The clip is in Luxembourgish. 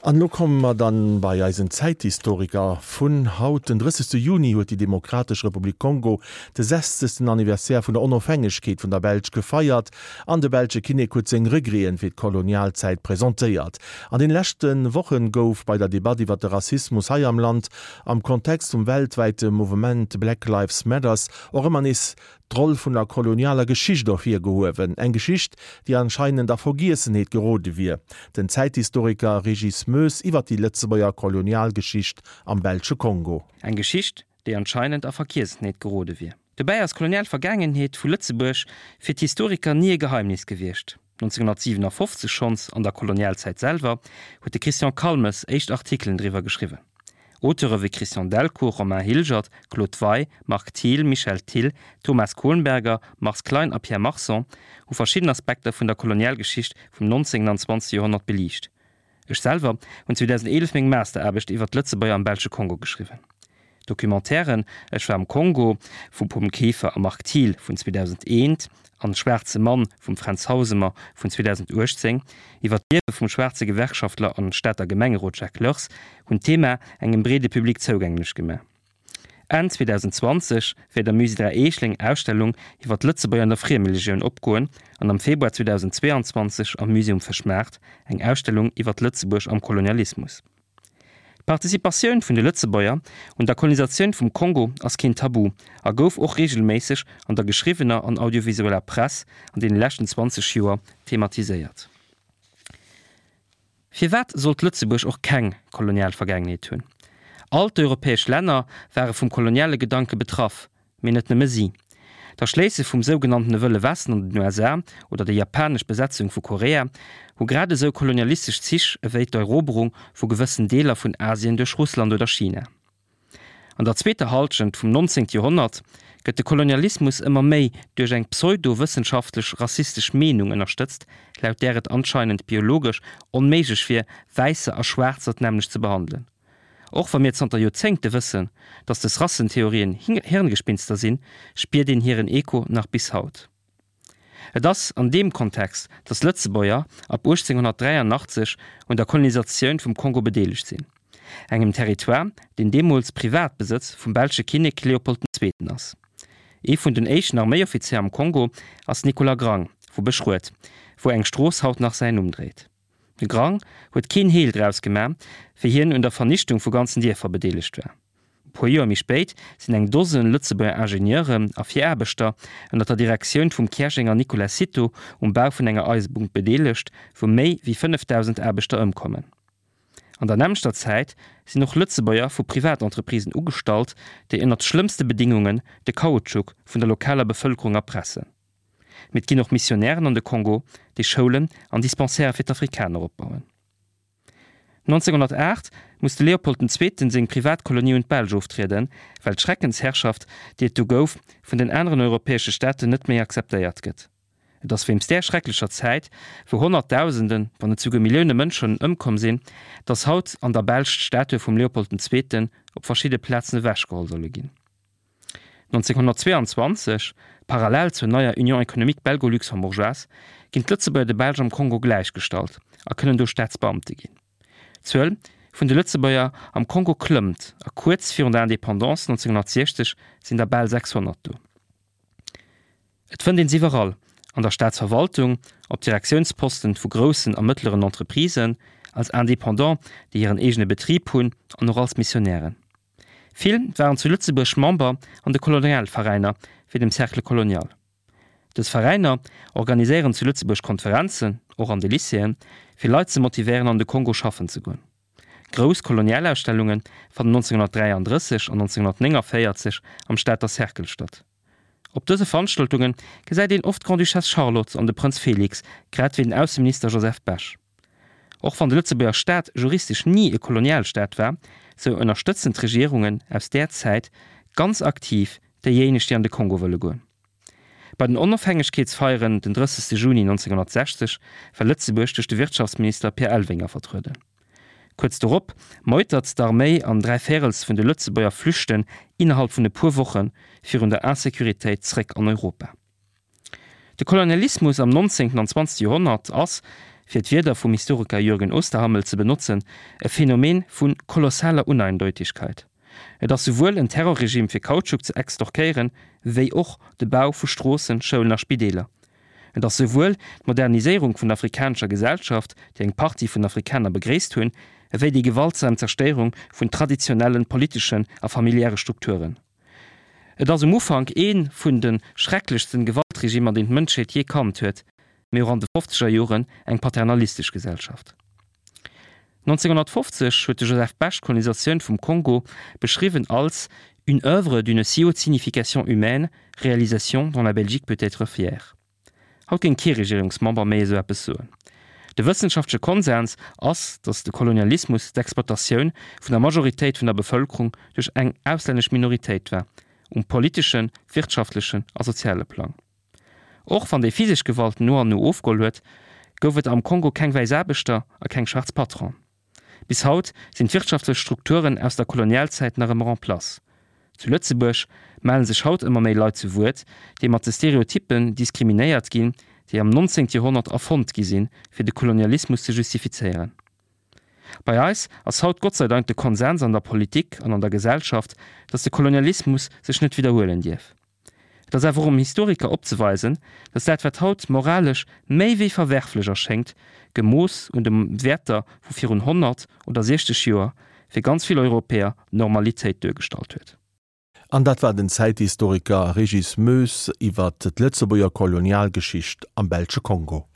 An elo komme mer dann bei eisen Zäithistoriker vun haut. Den 30. Juni huet déi Demokratesch Republik Kongo de sechzegsten Anniversaire vun der Onofhängegkeet vun der Belsch gefeiert an de belsche Kinnek huet seng Regreten fir d'Kolonialzäit presentéiert. An den leschte Wochen gouf bei der Debatt iwwer de Rassismus hei am Land am Kontext vum weltwäite Mouvement Black Lives Matters och ëmmer nees d'Roll vun der kolonialer Geschicht ervirgehuewen, eng Geschicht, déi anscheinend a Vergiessenheet gerode wier. Den Zäithistoriker Régis Moes iwwer déi Lëtzebuerger Kolonialgeschicht am belsche Kongo. Eng Geschicht, déi anscheinend a Vergiessenheet gerode wier. Dobäi ass d'kolonial Vergaangenheet vu Lëtzebuerg fir d'Historiker ni e Geheimnis gewiescht. 1957 schonns, an der Kolonialzäit selwer, huet de Christian Calmes éischt Artikelen driwwer geschriwwen. Auteure wéi Christian Delcourt, Romain Hilgert, Claude Wey, Marc Thiel, Michel Thill, Thomas Kohlenberger, Mars Klein a Pierre Marson hu verschidden Aspekter vun der Kolonialgeschicht vum 19. an 20. Joerhonnert beliicht. Ech selwer hunn 2011 meng Masteraarbecht iwwer d'Lëtzebuerger am belsche Kongo geschriwwen. D'Documentairen Ech war am Kongo vum Pom Kieffer a Marc Thiel vun 2001 an Schwaarze Mann vum Fränz Hausemer vun 2018 iwwer d'Liewe vum schwaarze Gewerkschaftler an Stater Gemengerot Jacques Leurs hunn d'Thema engem breede Public zougänglech gemaach. Enn 2020 wäert am Musée Dräi Eechel eng Ausstellung iwwer d'Lëtzebuerger an der Friemelegioun opgoen an am Februar 2022 am Musée um Fëschmaart eng Ausstellung iwwer Lëtzebuerg am Kolonialismus. D'Participatioun vun de Lëtzebuerger un der Kolonisatioun vum Kongo ass keen Tabu a gouf och reegelméisseg an der geschriwwener an audiovisueller Press an deene leschten 20 Joer thematiséiert. Firwat sollt Lëtzebuerg och keng kolonial Vergaangenheet hunn? All d'europäesch Länner ware vum koloniale Gedanke betraff, mee net nëmme si. D'Erschléisse vum sougenanntene Wëlle Westen an den USA oder déi japanesch Besetzung vu Korea hu grad esou kolonialistesch Zich ewéi d'Eroberung vu gewëssen Deeler vun Asien duerch Russland oder China. An der zweeter Halschent vum 19. Joerhonnert gëtt de Kolonialismus ëmmer méi duerch eng pseudo-wëssenschaftlech rassistesch Meenung ënnerstëtzt, laut där et anscheinend biologesch onméiglech wier, Wäisser a Schwaarzer d'nämmlecht ze behandelen. Och wa mir zanter Joerzéngte wëssen, datt des Rassentheorien Hirngespinster sinn, spiert een hiren Echo nach bis haut. Et ass an deem Kontext, datt Lëtzebuerger ab 1883 un der Kolonisatioun vum Kongo bedeelegt sinn, engem Territoire, deen deemools Privatbesëtz vum belsche Kinnek Leopold den Zweeten ass. Ee vun den éischten Arméioffizéier am Kongo ass Nicolas Grang vu Beschruet, wou eng Strooss haut nach säin Numm dréit. De Grang huet keen Heel draus gemaach, wéi hien un der Vernichtung vu ganzen Dierfer bedeelegt war. E puer Joer méi spéit sinn eng Dosen Lëtzebuerger Ingenieuren a Viraarbechter ënner der Direktioun vum Käerjenger Nicolas Cito um Bau vun enger Eisebunn bedeelegt, wou méi wéi 5.000 Aarbechter ëmkommen. An der nämmlechter Zäit sinn och Lëtzebuerger vu Privatentreprisen ugestallt, déi ënnert schlëmmste Bedingungen de Kautschuk vun der lokaler Bevëlkerung erpressen. Mee et ginn och Missionären an de Kongo, déi Schoulen an Dispensairë fir d'Afrikaner opbauen. 1908 muss de Leopold den Zweeten seng Privatkolonie un d'Belsch oftrieden, well d'Schreckensherrschaft, déi et du gouf, vun den aneren europäesche Staaten net méi akzeptéiert gëtt. Et ass wéinst där schrecklecher Zäit, wou Honnertdausenden, wann net souguer Millioune Mënschen ëmkomm sinn, datt haut an der Belsch d'Statue vum Leopold den Zweeten op verschidde Plazen ewechgeholl solle ginn. 1922, parallel zur neier Union économique belgo-luxembourgeoise, ginn d'Lëtzebuerger de Belsch am Kongo gläichgestallt a kënnen do Staatsbeamte ginn. D'Zuel vun de Lëtzebuerger am Kongo klëmmt a kuerz virun der Indépendance 1960 sinn der bal 600 do. Et fënnt een s'iwwerall, an der Staatsverwaltung, op Direktiounsposten vu groussen a mëttleren Entreprisen, als Indépendant, déi hiren eegene Betrib hunn an och als Missionären. Vill waren zu Lëtzebuerg Member an de Kolonialveräiner, wéi dem Cercle Colonial. Dës Veräiner organiséieren zu Lëtzebuerg Konferenzen, och an de Lycéeën, fir Leit ze motivéieren an de Kongo schaffen ze goen. Grouss Kolonialausstellunge fannen 1933 an 1949 am Stater Cercle statt. Op dëse Veranstaltunge gesäit een oft d'Grande-Duchesse Charlotte an de Prënz Félix, grad wéi den Ausseminister Joseph Bech. Och wann de Lëtzebuerger Staat juristesch ni e Kolonialstaat war, sou ënnerstëtzen d'Regierungen aus där Zäit ganz aktiv déijéineg, déi an de Kongo wëlle goen. Bei den Onofhängegkeetsfeieren den 30 Juni 1960 war Lëtzebuerg duerch de Wirtschaftsminister Pierre Elvinger vertrueden. Kuerz dorop meutert d'Arméi an dräivéirels vun de Lëtzebuerger flüchten innerhalb vun e puer Woche virun der Insécuritéit zréck an Europa. De Kolonialismus am 19. an 20. Joerhonnert ass, fir d'Wierder vum Historiker Jürgen Osterhammel ze benotzen, e Phänomen vu kolossaler Uneindeutigkeit. Et ass souwuel en Terrorregime fir Kautschuk ze extorkéieren, wéi och de Bau vu Stroossen, Schoulen a Spideeler. Et ass souwuel d'Moderniséierung vun der afrikanescher Gesellschaft, déi eng Partie vun Afrikaner begréisst hunn, ewéi déi gewaltsam Zerstéierung vun traditionellen politeschen a familiäre Strukturen. Et ass um Ufank ee vun de schrecklechsten Gewaltregimer, deen d'Mënschheet jee kannt huet, mee och an de fofzeger Joren eng paternalistesch Gesellschaft. 1950 huet de Joseph Bech d'Kolonisatioun vum Kongo beschriwwen als une œuvre d'une si haute signification humaine, réalisation dont la Belgique peut être fière. Haut géing kee Regierungsmember méi esou eppes soen. De wëssenschaftleche Konsens ass, datt de Kolonialismus d'Exploitatioun vun der Majoritéit vun der Bevëlkerung duerch eng auslännesch Minoritéit war, um politeschen, wirtschaftlechen a soziale Plang. Och wann déi physesch Gewalt no an no ofgeholl huet, gouf et am Kongo keng wäiss Aarbechter a keng schwaarz Patronen. Bis haut sinn d'wirtschaftlech Strukturen aus der Kolonialzäit nach ëmmer en place. Zu Lëtzebuerg mellen sech haut ëmmer méi Leit zu Wuert, déi mat de Stereotyppen diskriminéiert ginn, déi am 19. Joerhonnert erfonnt gi sinn, fir de Kolonialismus ze justifizéieren. Bei eis ass haut Gott sei Dank de Konsens an der Politik an an der Gesellschaft, datt de Kolonialismus sech net widderhuelen dierf. Et ass awer och um Historiker opzeweisen, datt dat wat haut moralesch méi wéi verwerflech erschéngt, gemooss un de Wäerter vu virun 100 oder 60 Joer, fir ganz vill Europäer d'Normalitéit duergestallt huet. An dat war den Zäithistoriker Régis Moes iwwer d'Lëtzebuerger Kolonialgeschicht am belsche Kongo.